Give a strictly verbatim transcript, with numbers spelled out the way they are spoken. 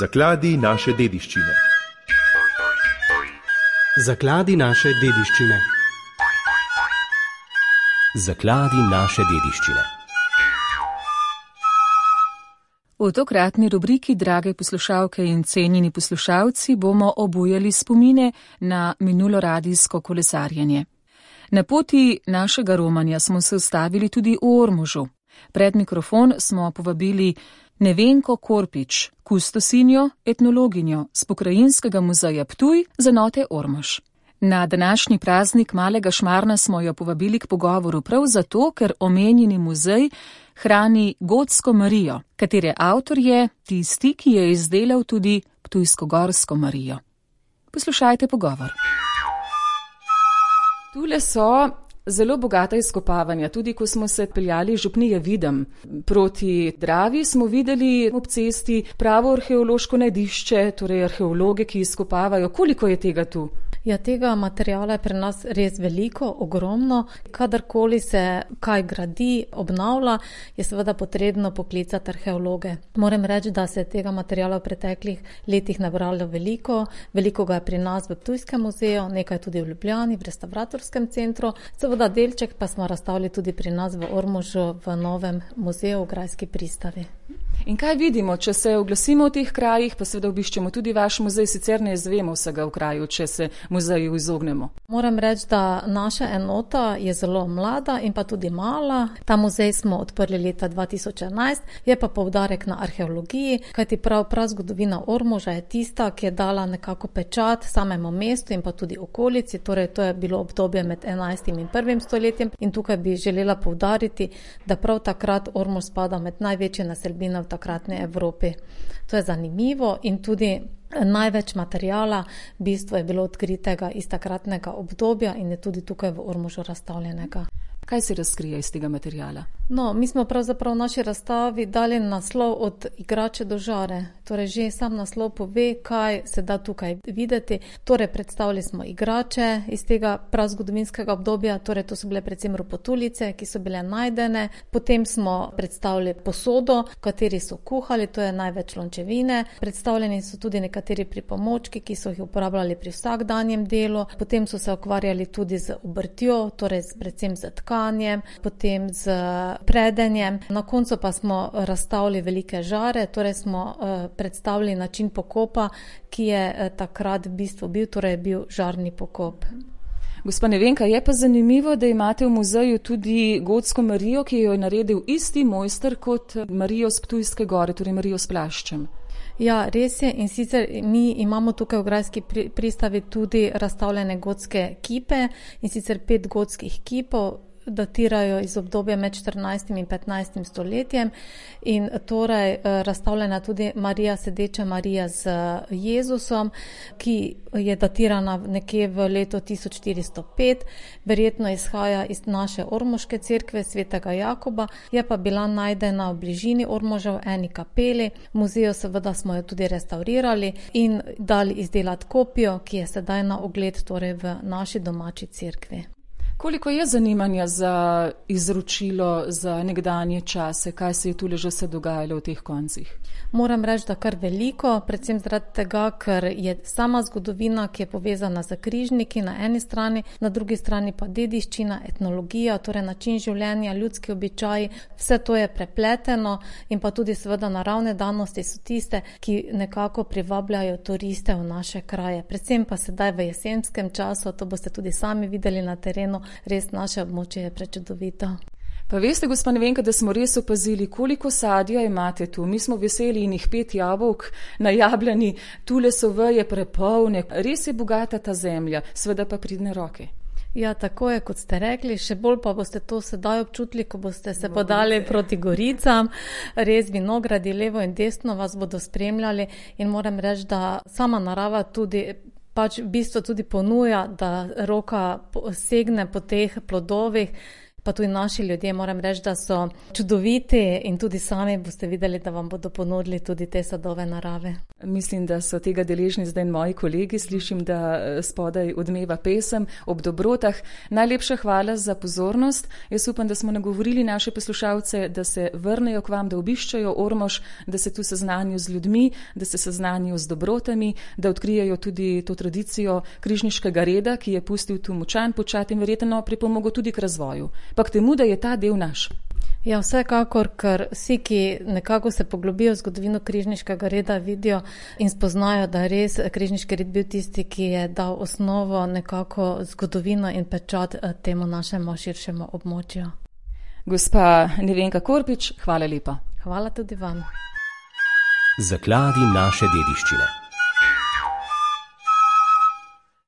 Zakladi naše dediščine. Zakladi naše dediščine. Zakladi naše dediščine. V tokratni rubriki, drage poslušalke in cenjeni poslušalci, bomo obujali spomine na minulo radijsko kolesarjenje. Na poti našega romanja smo se ustavili tudi v Ormožu. Pred mikrofon smo povabili Nevenko Korpič, kustosinjo, etnologinjo z Pokrajinskega muzeja Ptuj z enote Ormož. Na današnji praznik Malega Šmarna smo jo povabili k pogovoru prav zato, ker omenjeni muzej hrani Gotsko Marijo, katere avtor je tisti, ki je izdelal tudi Ptujsko-Gorsko Marijo. Poslušajte pogovor. Tule so zelo bogata izkopavanja. Tudi ko smo se peljali župnije Videm proti Dravi, smo videli ob cesti pravo arheološko najdišče, torej arheologe, ki izkopavajo. Koliko je tega tu? Ja, tega materijala je pri nas res veliko, ogromno. Kadarkoli se kaj gradi, obnavlja, je seveda potrebno poklicati arheologe. Moram reči, da se je tega materijala v preteklih letih nabralo veliko. Veliko ga je pri nas v Ptujskem muzeju, nekaj tudi v Ljubljani, v restavratorskem centru. Seveda delček pa smo razstavili tudi pri nas v Ormožu v novem muzeju v Grajski pristavi. In kaj vidimo, če se oglasimo v teh krajih, pa seveda obiščemo tudi vaš muzej, sicer ne izvemo vsega v kraju, če se muzeju izognemo? Moram reči, da naša enota je zelo mlada in pa tudi mala. Ta muzej smo odprli leta dva tisoč enajst, je pa poudarek na arheologiji, kajti prav prav zgodovina Ormoža je tista, ki je dala nekako pečat samemu mestu in pa tudi okolici, torej to je bilo obdobje med enajstim in prvim stoletjem in tukaj bi želela poudariti, da prav takrat Ormož spada med največje naselbine v takratni Evropi. To je zanimivo in tudi največ materijala v bistvu je bilo odkritega iz takratnega obdobja in je tudi tukaj v Ormožu razstavljenega. Kaj se razkrije iz tega materijala? No, mi smo pravzaprav v naši razstavi dali naslov od igrače do žare. Torej, že sam naslov pove, kaj se da tukaj videti. Torej, predstavili smo igrače iz tega prazgodovinskega obdobja, torej to so bile predvsem ropotulice, ki so bile najdene. Potem smo predstavili posodo, v kateri so kuhali, to je največ lončevine. Predstavljeni so tudi nekateri pripomočki, ki so jih uporabljali pri vsakdanjem delu. Potem so se ukvarjali tudi z obrtjo, torej predvsem z tkanjem, potem z predenjem. Na koncu pa smo razstavili velike žare, torej smo uh, predstavili način pokopa, ki je uh, takrat v bistvu bil, torej bil žarni pokop. Gospa Nevenka, je pa zanimivo, da imate v muzeju tudi Gotsko Marijo, ki jo je naredil isti mojster kot Marijo s Ptujske gore, torej Marijo s plaščem. Ja, res je in sicer mi imamo tukaj v Grajski pristavi tudi razstavljene gotske kipe in sicer pet gotskih kipov, datirajo iz obdobja med štirinajstim in petnajstim stoletjem in torej razstavljena tudi Marija, sedeča Marija z Jezusom, ki je datirana nekje v letu tisoč štiristo pet, verjetno izhaja iz naše ormoške cerkve svetega Jakoba, je pa bila najdena v bližini Ormoža v eni kapeli. V muzeju seveda smo jo tudi restaurirali in dali izdelati kopijo, ki je sedaj na ogled torej v naši domači cerkvi. Koliko je zanimanja za izročilo, za nekdanje čase, kaj se je tule že se dogajalo v teh koncih? Moram reči, da kar veliko, predvsem zaradi tega, ker je sama zgodovina, ki je povezana z križniki na eni strani, na drugi strani pa dediščina, etnologija, torej način življenja, ljudski običaji, vse to je prepleteno in pa tudi seveda naravne danosti so tiste, ki nekako privabljajo turiste v naše kraje. Predvsem pa sedaj v jesenskem času, to boste tudi sami videli na terenu, res naše območje je prečudovito. Pa veste, gospa Nevenka, da smo res opazili, koliko sadja imate tu. Mi smo veseli in jih pet jabolk na Jabljani, tule so veje prepolne. Res je bogata ta zemlja, seveda pa pridne roke. Ja, tako je, kot ste rekli, še bolj pa boste to sedaj občutili, ko boste se podali proti Goricam. Res vinogradi levo in desno vas bodo spremljali in moram reči, da sama narava tudi pač v bistvu tudi ponuja, da roka segne po teh plodovih. pa tudi naši ljudje, moram reči, da so čudoviti in tudi sami boste videli, da vam bodo ponudili tudi te sadove narave. Mislim, da so tega deležni zdaj moji kolegi, slišim, da spodaj odmeva pesem ob dobrotah. Najlepša hvala za pozornost. Jaz upam, da smo nagovorili naše poslušalce, da se vrnejo k vam, da obiščajo Ormož, da se tu seznanijo z ljudmi, da se seznanijo z dobrotami, da odkrijejo tudi to tradicijo križniškega reda, ki je pustil tu močan počat in verjetno pripomogel tudi k razvoju. Pa k temu, da je ta del naš. Ja, vsekakor, ker vsi, ki nekako se poglobijo v zgodovino križniškega reda, vidijo in spoznajo, da je res križniški red bil tisti, ki je dal osnovo, nekako zgodovino in pečat temu našemu širšemu območju. Gospa Nevenka Korpič, hvala lepa. Hvala tudi vam. Zakladi naše dediščine.